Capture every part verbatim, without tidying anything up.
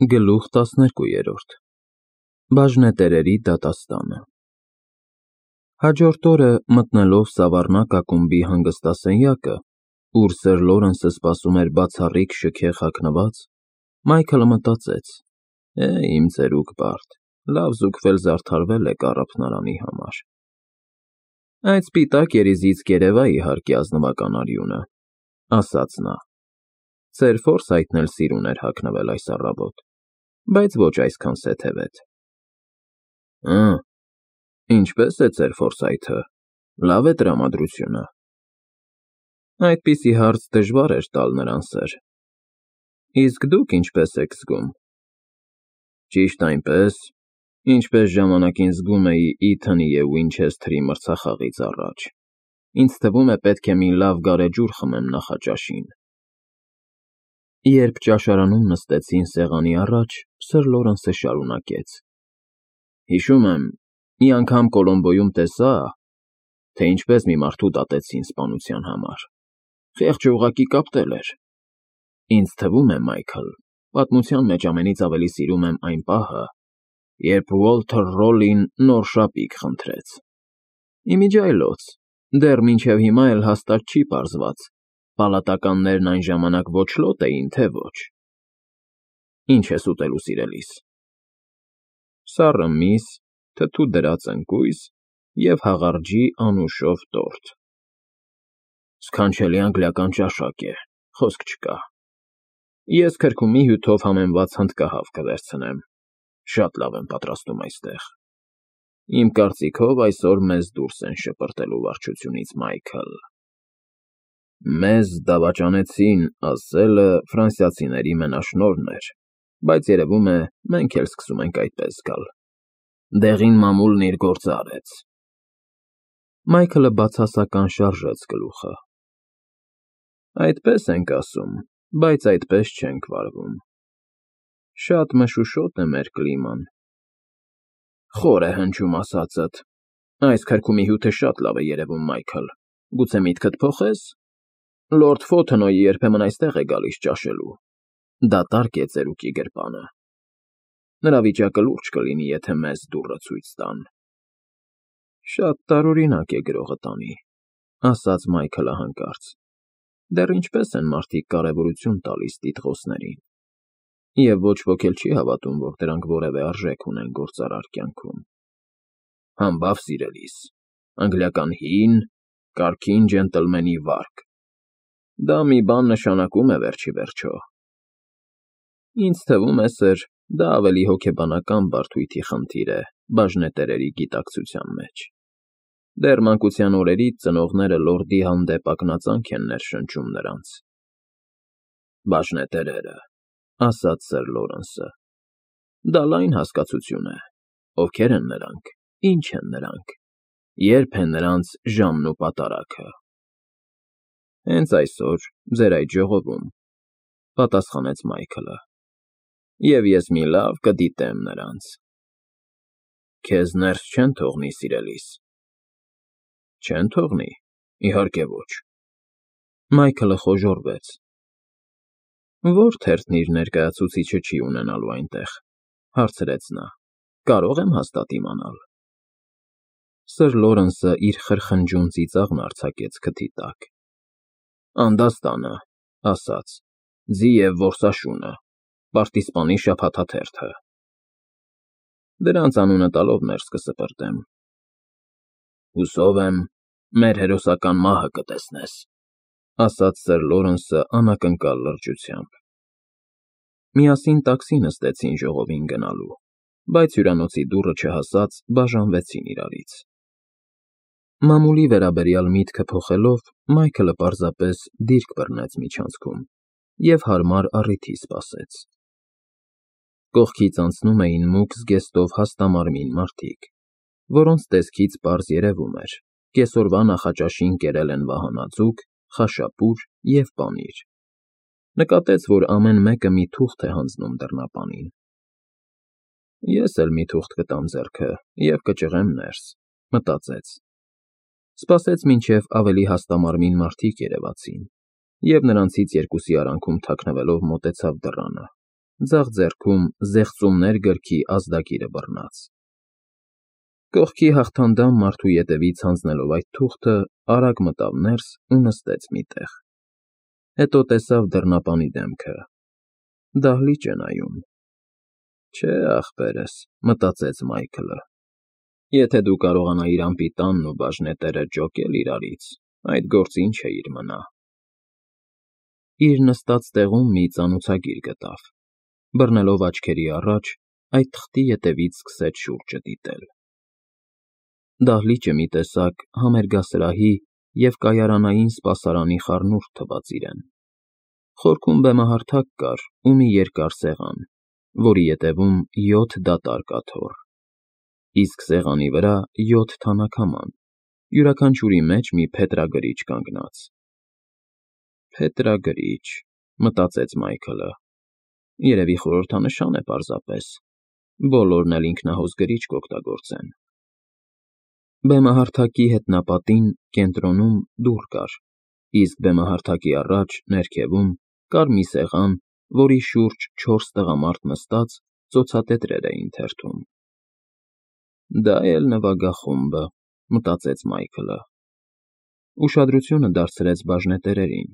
Գլուխ տասներկուերորդ Բաժնետերերի դատաստանը Հաջորդ օրը մտնելով Սավառնակ ակումբի հանգստասենյակը, ուր սըր Լորենսը սպասում էր բացառիկ շքեղ հագնված, Մայքլը մտածեց. «Է, իմ ծերուկ բարդ, լավ զուգվել զարդարվել եք առափնարանի համար»։ «Այդ սպիտակ երիզից կերևա, իհարկե, ազնվական արյունը», ֊ ասաց նա։ «Ձեր Ֆորսայթն էլ սիրուն էր հագնվել այս առավոտ, բայց ոչ այսքան սեթևետ»։ «Հը՞, ինչպե՞ս է ձեր Ֆորսայթը, լավ է տրամադրությունը»։ Այդպիսի հարց դժվար էր տալ նրան, սըր։ «Իսկ դուք ինչպե՞ս եք զգում»։ «Ճիշտ այնպես, ինչպես ժամանակին զգում էի Իթոնի և Ուինչեսթերի մրցախաղից առաջ, ինձ թվում է պետք է մի լավ գարեջուր խմեմ նախաճաշին»։ Երբ ճաշարանում նստեցին սեղանի առաջ, սըր Լորենսը շարունակեց. «Հիշում եմ, մի անգամ Կոլոմբոյում տեսա, թե ինչպես մի մարդու դատեցին սպանության համար, խեղճը ուղղակի կապտել էր։ Ինձ թվում է, Մայքլ, պատմության մեջ ամենից ավելի սիրում եմ այն պահը, երբ Ուոլթեր Ռոլլին նոր շապիկ խնդրեց։ Իմիջիայլոց, դեռ մինչև հիմա էլ հաստատ չի պարզված, պալատականներն այն ժամանակ ոչլոտ էին, թե ոչ։ Ի՞նչ ես ուտելու սիրելիս»։ «Սառը միս, թթու դրած ընկույզ և հաղարջի անուշով տորտ»։ «Սքանչելի անգլիական ճաշակ է, խոսք չկա։ Ես քրքումի հյութով համեմված հնդկահավ կվերցնեմ, շատ լավ են պատրաստում այստեղ։ Իմ կարծիքով այսօր մեզ դուրս են շպրտելու վարչությունից, Մայքլ»։ «Մեզ դավաճանեցին» ասելը ֆրանսիացիների մենաշնորհն էր, բայց երևում է, մենք էլ սկսում ենք այդպես զգալ։ Դեղին մամուլն իր գործը արեց։ Մայքլը բացասական շարժեց գլուխը։ «Այդպես ենք ասում, բայց այդպես չենք վարվում։ Շատ մշուշոտ է մեր կլիման»։ «Խոր է հնչում ասածդ։ Այս քրքումի հյութը շատ լավ է երևում, Մայքլ, գուցե միտքդ փոխե՞ս։ Լորդ Ֆոթենոյը երբեմն այստեղ է գալիս ճաշելու։ Դատարկ է ծերուկի գրպանը։ Նրա վիճակը լուրջ կլինի, եթե մեզ դուռը ցույց տան»։ «Շատ տարօրինակ է գրողը տանի», ֊ ասաց Մայքլը հանկարծ։ «Դեռ ինչպես են մարդիկ կարևորություն տալիս տիտղոսներին։ Եվ ոչ ոք էլ չի հավատում, որ դրանք որևէ արժեք ունեն գործարար կյանքում։ Համբավ սիրելիս, անգլիական հին, կարգին ջենտլմենի վարկ։ Դա մի բան նշանակում է վերջիվերջո։ Ինձ թվում է, սըր, դա ավելի հոգեբանական բարդույթի խնդիր է բաժնետերերի գիտակցության մեջ։ Դեռ մանկության օրերից ծնողները լորդի հանդեպ ակնածանք են ներշնչում նրանց»։ «Բաժնետերերը», ֊ ասաց սըր Լորենսը։ «Դա լայն հասկացություն է։ Ովքեր են նրանք, ինչ են նրանք, ե՞րբ է նրանց ժամն ու պատարագը»։ «Հենց այսօր, ձեր այդ ժողովում», ֊ պատասխանեց Մայքլը։ «Եվ ես մի լավ կդիտեմ նրանց»։ «Քեզ ներս չեն թողնի, սիրելիս»։ «Չեն թողնի, իհարկե ոչ»։ Մայքլը խոժոռվեց։ «Ո՞ր թերթն իր ներկայացուցիչը չի ունենալու այնտեղ», ֊ հարցրեց նա։ «Կարո՞ղ եմ հաստատ իմանալ»։ Սըր Լորենսը իր խրխնջուն ծիծաղն արձակեց քթի տակ։ «Անդաստանը», ֊ ասաց, «Ձի և որսաշունը, պարտիզպանի շաբաթաթերթը»։ «Դրանց անունը տալով ներս կսպրտեմ»։ «Հուսով եմ, մեր հերոսական մահը կտեսնես», ֊ ասաց սըր Լորենսը անակնկալ լրջությամբ։ Միասին տաքսի նստեցին ժողովին գնալու, բայց հյուրանոցի դուռը չհասած բաժանվեցին իրարից։ Մամուլի վերաբերյալ միտքը փոխելով, Մայքլը պարզապես դիրք բռնեց միջանցքում և հարմար առիթի սպասեց։ Կողքից անցնում էին մուգ զգեստով հաստամարմին մարդիկ, որոնց տեսքից պարզ երևում էր՝ կեսօրվա նախաճաշին կերել են վահանաձուկ, խաշապուր և պանիր։ Նկատեց, որ ամեն մեկը մի թուղթ է հանձնում դռնապանին։ «Ես էլ մի թուղթ կտամ ձեռքը և կճղեմ ներս», ֊ մտածեց։ Սպասեց, մինչև ավելի հաստամարմին մարդիկ երևացին, և նրանցից երկուսի արանքում թաքնվելով մոտեցավ դռանը ձախ ձեռքում զեղծումներ գրքի ազդագիրը բռնած։ Կողքի հաղթանդամ մարդու ետևից հանձնելով այդ թուղթը, արագ մտավ ներս ու նստեց մի տեղ։ Հետո տեսավ դռնապանի դեմքը։ Դահլիճ է նայում։ Չէ, ախպերս, մտածեց Մայքլը, եթե դու կարողանայիր անպիտանն ու բաժնետերը ջոկել իրարից, այդ գործը ինչ էիր մնա։ Իր նստած տեղում մի ծանոցագիր գտավ։ Բռնելով աչքերի առաջ, այդ թղթի ետևից սկսեց շուրջը դիտել։ Դահլիճը մի տեսակ համերգասրահի և կայարանային սպասարանի խառնուրդ թվաց իրեն։ Խորքում բեմահարթակ կար ու մի երկար սեղան, որի ետևում յոթ դատարկ աթոռ, իսկ սեղանի վրա յոթ թանաքաման, յուրաքանչյուրի մեջ մի փետրագրիչ կանգնած։ Փետրագրիչ, մտածեց Մայքլը, երևի խորհրդանշան է պարզապես, բոլորն էլ ինքնահոս գրիչ կօգտագործեն։ Բեմահարթակի հետնապատին, կենտրոնում, դուռ կար, իսկ բեմահարթակի առաջ, ներքևում, կար մի սեղան, որի շուրջ չորս տղամարդ նստած ծոցատետրեր էին թերթում։ Դա էլ նվագախումբը, մտածեց Մայքլը։ Ուշադրությունը դարձրեց բաժնետերերին,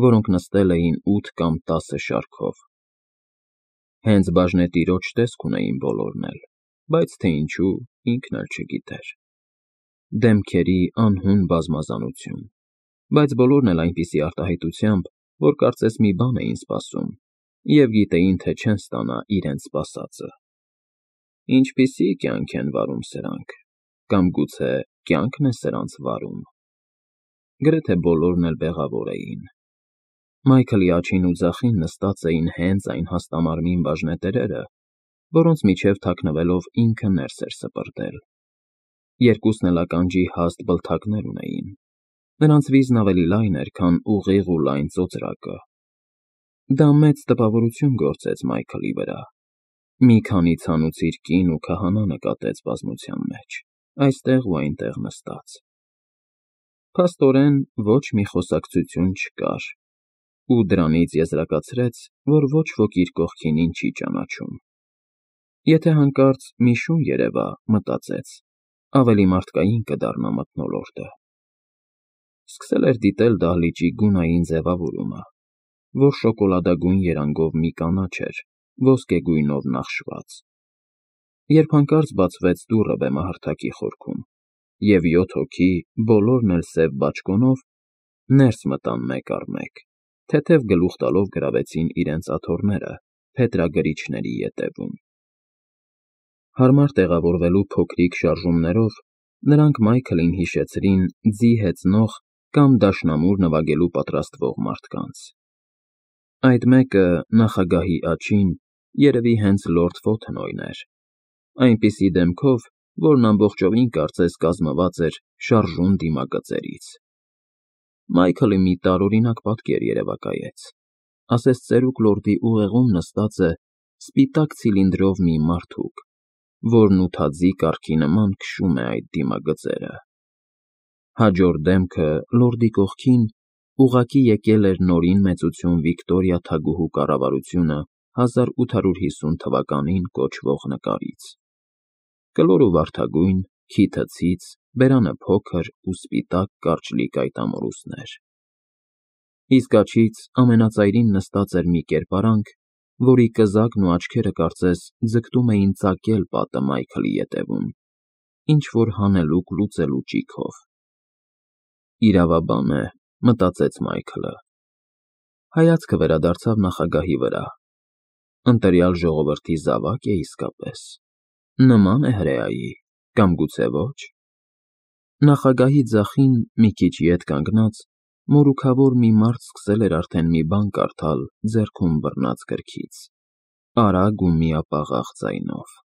որոնք նստել էին ութ կամ տասը շարքով։ Հենց բաժնետիրոջ տեսք ունեին բոլորն էլ, բայց թե ինչու, ինքն էլ չգիտեր։ Դեմքերի անհուն բազմազանություն, բայց բոլորն էլ այնպիսի արտահայտությամբ, որ կարծես մի բան էին սպասում և գիտեին, թե չեն ստանա իրենց սպասածը։ Ինչպիսի՞ կյանք են վարում սրանք, կամ գուցե կյանքն է սրանց վարում։ Գրեթե բոլորն էլ բեղավոր էին։ Մայքլի աջին ու ձախին նստած էին հենց այն հաստամարմին բաժնետերերը, որոնց միջև թաքնվելով ինքը ներս էր սպրտել։ Երկուսն էլ ականջի հաստ բլթակներ ունեին։ Նրանց վիզն ավելի լայն էր, քան ուղիղ ու լայն ծոծրակը։ Դա մեծ տպավորություն գործեց Մայքլի վրա։ Մի քանի ցանուցիր կին ու քահանա նկատեց բազմության մեջ, այստեղ ու այնտեղ նստած։ Փաստորեն, ոչ մի խոսակցություն չկար, ու դրանից եզրակացրեց, որ ոչ ոք իր կողքինին չի ճանաչում։ Եթե հանկարծ մի շուն երևա, մտածեց, ավելի մարդկային կդառնա մթնոլորտը։ Սկսել էր դիտել դահլիճի գունային ձևավորումը, որ շոկոլադագույն երանգով մի կանաչ էր, ոսկեգույնով նախշված։ Երբ հանկարծ բացվեց դուռը բեմահարթակի խորքում, և յոթ հոգի, բոլորն էլ սև բաճկոնով, ներս մտան մեկ առ մեկ, թեթև գլուխ տալով գրավեցին իրենց աթոռները փետրագրիչների ետևում։ Հարմար տեղավորվելու փոքրիկ շարժումներով նրանք Մայքլին հիշեցրին ձի հեծնող կամ դաշնամուր նվագելու պատրաստվող մարդկանց։ Այդ մեկը նախագահի աջին երևի հենց լորդ Ֆոթենոյն էր, այնպիսի դեմքով, որն ամբողջովին կարծես կազմված էր շարժուն դիմագծերից։ Մայքլը մի տարօրինակ պատկեր երևակայեց, ասես ծերուկ լորդի ուղեղում նստած է սպիտակ ցիլինդրով մի մարդուկ, որն ութաձի կառքի նման քշում է այդ դիմագծերը։ Հաջորդ դեմքը, լորդի կողքին, ուղղակի եկել էր Նորին մեծություն Վիկտորիա թագուհու կառավարությունը հազար ութ հարյուր հիսուն թվականին կոչվող նկարից։ Կլոր ու վարդագույն, քիթը ցից, բերանը փոքր ու սպիտակ կարճլիկ այտամորուսներ։ Իսկ աջից ամենածայրին նստած էր մի կերպարանք, որի կզակն ու աչքերը կարծես ձգտում էին ծակել պատը Մայքլի ետևում, ինչ֊որ հանելուկ լուծելու ճիգով։ Իրավաբան է, մտածեց Մայքլը։ Հայացքը վերադարձավ նախագահի վրա։ Ընտրյալ ժողովրդի զավա՞կ է իսկապես։ Նման է հրեայի, կամ գուցե ոչ։ Նախագահի ձախին, մի քիչ ետ կանգնած, մորուքավոր մի մարդ սկսել էր արդեն մի բան կարդալ ձեռքում բռնած գրքից, արագ ու միապաղաղ ձայնով։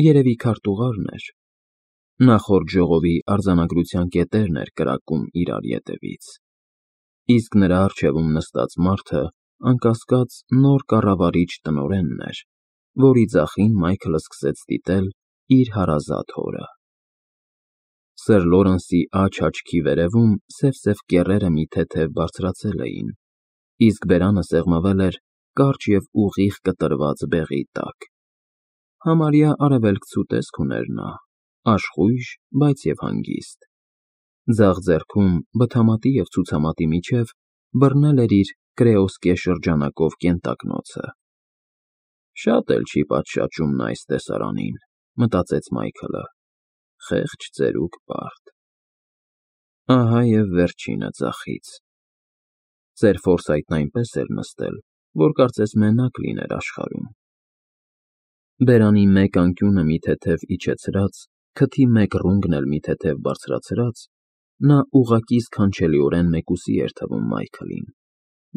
Երևի քարտուղարն էր։ Նախորդ ժողովի արձանագրության կետերն էր կրակում իրար ետևից։ Իսկ նրա առջևում նստած մարդը, անկասկած, նոր կառավարիչ տնօրենն էր, որի ձախին Մայքլը սկսեց դիտել իր հարազատ հորը։ Սըր Լորենսի աջ աչքի վերևում սև֊սև կեռերը մի թեթև բարձրացել էին, իսկ բերանը սեղմվել էր կարճ և ուղիղ կտրված բեղի տակ։ Համարյա արևելքցու տեսք ուներ նա, աշխույժ, բայց և հանգիստ։ Ձախ ձեռքում, բթամատի և ցուցամատի միջև, բռնել էր իր կրեոսկե շրջանակով կենտակնոցը։ Շատ էլ չի պատշաճում նա այս տեսարանին, մտածեց Մայքլը, խեղճ ծերուկ պարդ։ Ահա և վերջինը ձախից։ Ծեր Ֆորսայթն այնպես էր նստել, որ կարծես մենակ լիներ աշխարհում։ Բերանի մեկ անկյունը մի թեթև իջեցրած, քթի մեկ ռունգն էլ մի թեթև բարձրացրած, նա ուղղակի սքանչելիորեն մեկուսի էր թվում Մայքլին,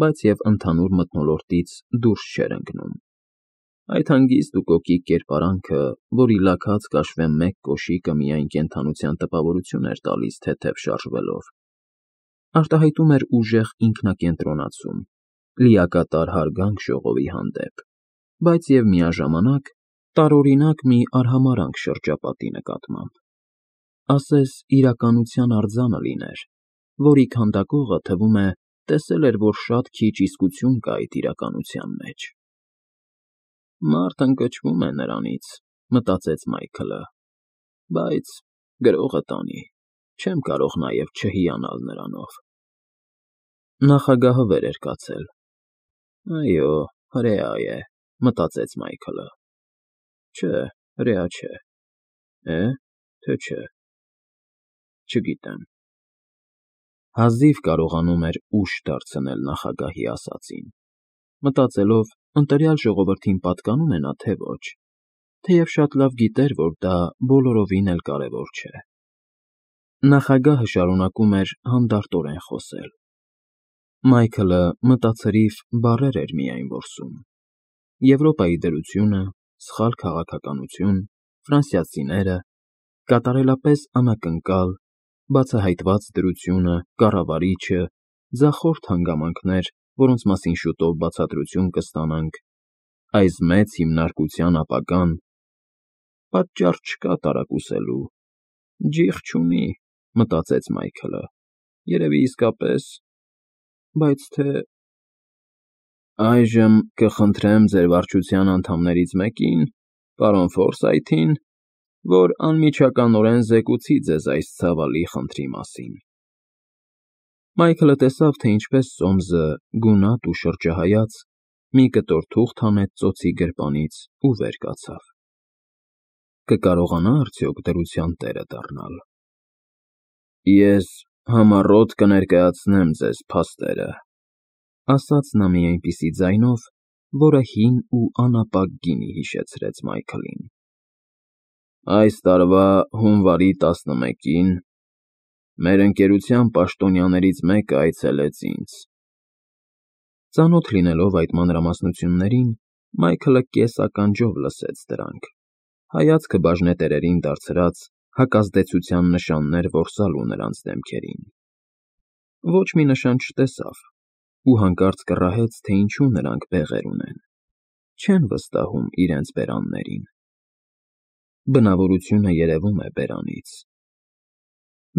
բայց և ընդհանուր մթնոլորտից դուրս չէր ընկնում։ Այդ հանգիստ ու կոկիկ կերպարանքը, որի լաքած կաշվե մեկ կոշիկը միայն կենդանության տպավորություն էր տալիս թեթև շարժվելով, արտահայտում էր ուժեղ ինքնակենտրոնացում, լիակատար հարգանք ժողովի հանդեպ, բայց և միաժամանակ տարօրինակ մի արհամարհանք շրջապատի նկատմամբ, ասես իրականության արձանը լիներ, որի քանդակողը, թվում է, տեսել էր, որ շատ քիչ իսկություն կա այդ իրականության մեջ։ Մարդ ընկճվում է նրանից, մտածեց Մայքլը, բայց գրողը տանի, չեմ կարող նաև չհիանալ նրանով։ Նախագահը վեր էր կացել։ Այո, հրեա է, մտածեց Մայքլը։ Չէ, հրեա չէ։ Է՞, թե չէ։ Չգիտեմ։ Հազիվ կարողանում էր ուշ դարձնել նախագահի ասածին, մտածելով, ընտրյալ ժողովրդին պատկանում է նա, թե ոչ, թեև շատ լավ գիտեր, որ դա բոլորովին էլ կարևոր չէ։ Նախագահը շարունակում էր հանդարտորեն խոսել։ Մայքլը մտացրիվ բառեր էր միայն որսում. Եվրոպայի դրությունը, սխալ քաղաքականություն, ֆրանսիացիները, կատարելապես անակնկալ, բացահայտված դրությունը, կառավարիչը, ձախորդ հանգամանքներ, որոնց մասին շուտով բացատրություն կստանանք, այս մեծ հիմնարկության ապագան, պատճառ չկա տարակուսելու, ջիղ չունի, մտածեց Մայքլը, երևի իսկապես, բայց թե… Այժմ կխնդրեմ ձեր վարչության անդամներից մեկին, պարոն Ֆորսայթին, որ անմիջականորեն զեկուցի ձեզ այս ցավալի խնդրի մասին։ Մայքլը տեսավ, թե ինչպես Սոմսը, գունատ ու շրջահայաց, մի կտոր թուղթ հանեց ծոցի գրպանից ու վեր կացավ։ Կկարողանա՞ արդյոք դրության տերը դառնալ։ Ես համառոտ կներկայացնեմ ձեզ փաստերը, ասաց նա մի այնպիսի ձայնով, որը հին ու անապակ գինի հիշեցրեց Մայքլին։ Այս տարվա հունվարի տասնմեկին մեր ընկերության պաշտոնյաներից մեկը այցելեց ինձ։ Ծանոթ լինելով այդ մանրամասնություններին, Մայքլը կես֊ականջով լսեց դրանք, հայացքը բաժնետերերին դարձրած, հակազդեցության նշաններ որսալու նրանց դեմքերին։ Ոչ մի նշան չտեսավ ու հանկարծ կռահեց, թե ինչու նրանք բեղեր ունեն, չեն վստահում իրենց բերաններին։ Բնավորությունը երևում է բերանից։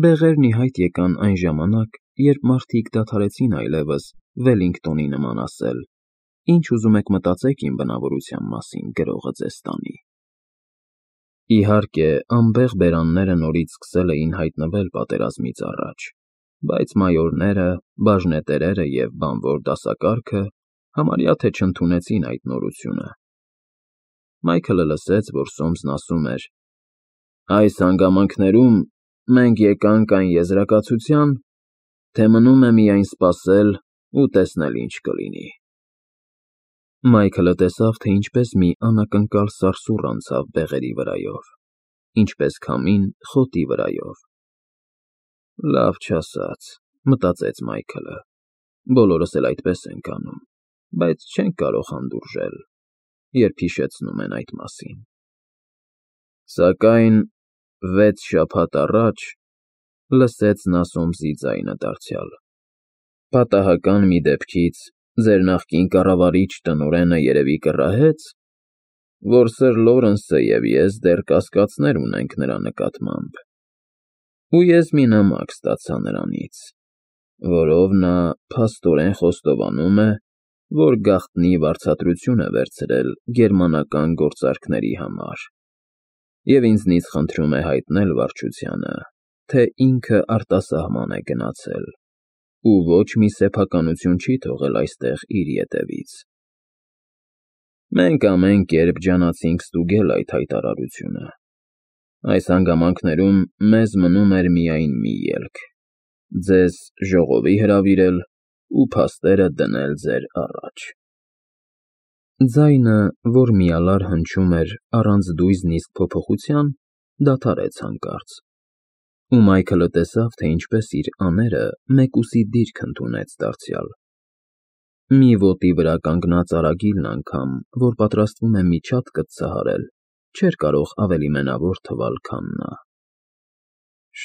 Բեղերն ի հայտ եկան այն ժամանակ, երբ մարդիկ դադարեցին այլևս Վելլինգտոնի նման ասել. «Ինչ ուզում եք մտածեք իմ բնավորության մասին, գրողը ձեզ տանի»։ Իհարկե, անբեղ բերանները նորից սկսել էին հայտնվել պատերազմից առաջ, բայց մայորները, բաժնետերերը և բանվոր դասակարգը համարյա թե չընդունեցին այդ նորությունը։ Մայքլը լսեց, որ Սոմսն ասում էր. «Այս հանգամանքներում մենք եկանք այն եզրակացության, թե մնում է միայն սպասել ու տեսնել ինչ կլինի»։ Մայքլը տեսավ, թե ինչպես մի անակնկալ սարսուռ անցավ բեղերի վրայով, ինչպես քամին խոտի վրայով։ Լավ չասած, մտածեց Մայքլը, բոլորս էլ այդպես ենք անում, բայց չենք կարող հանդուրժել, երբ հիշեցնում են այդ մասին։ Սակայն վեց շաբաթ առաջ լսեց նա Սոմսի ձայնը դարձյալ. «Պատահական մի դեպքից ձեր նախկին կառավարիչ տնօրենը երևի կռահեց, որ սըր Լորենսը և ես դեռ կասկածներ ունենք նրա նկատմամբ, ու ես մի նամակ ստացա նրանից, որով նա փաստորեն խոստովանում է, որ գաղտնի վարձատրություն է վերցրել գերմանական գործարքների համար, և ինձնից խնդրում է հայտնել վարչությանը, թե ինքը արտասահման է գնացել ու ոչ մի սեփականություն չի թողել այստեղ իր ետևից։ Մենք ամեն կերպ ջանացինք ստուգել այդ հայտարարությունը։ Այս հանգամանքներում մեզ մնում էր միայն մի ելք՝ ձեզ ժողովի հրավիրել ու փաստերը դնել ձեր առաջ։ Ձայնը, որ միալար հնչում էր առանց դույզն իսկ փոփոխության, դադարեց հանկարծ, ու Մայքլը տեսավ, թե ինչպես իր աները մեկուսի դիրք ընդունեց դարձյալ։ Մի ոտի վրա կանգնած արագիլն անգամ, որ պատրաստվում է մի չաթ կծցահարել, չէր կարող ավելի մենավոր թվալ, քան նա։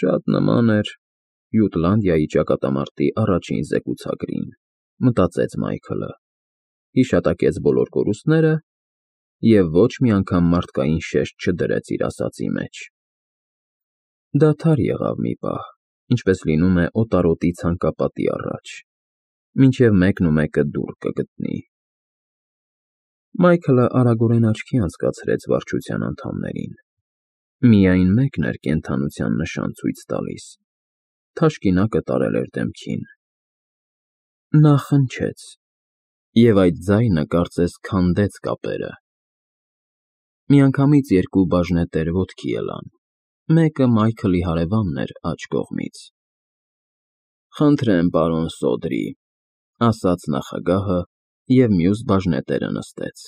Շատ նման էր Յուտլանդիայի ճակատամարտի առաջին զեկուցագրին, մտածեց Մայքլը, հիշատակեց բոլոր կորուստները և ոչ մի անգամ մարդկային շեշտ չդրեց իր ասածի մեջ։ Դադար եղավ մի պահ, ինչպես լինում է օտարոտի ցանկապատի առաջ, մինչև մեկն ու մեկը դուռ կգտնի։ Մայքլը արագորեն աչքի անցկացրեց վարչության անդամներին։ Միայն մեկն էր կենդանության նշան ցույց տալիս, թաշկինակը տարել էր դեմքին։ Նա խնջեց, և այդ ձայնը կարծես քանդեց կապերը։ Միանգամից երկու բաժնետեր ոտքի ելան, մեկը Մայքլի հարևանն էր աջ կողմից։ ֊ Խնդրեմ, պարոն Սոդրի, ֊ ասաց նախագահը և մյուս բաժնետերը նստեց։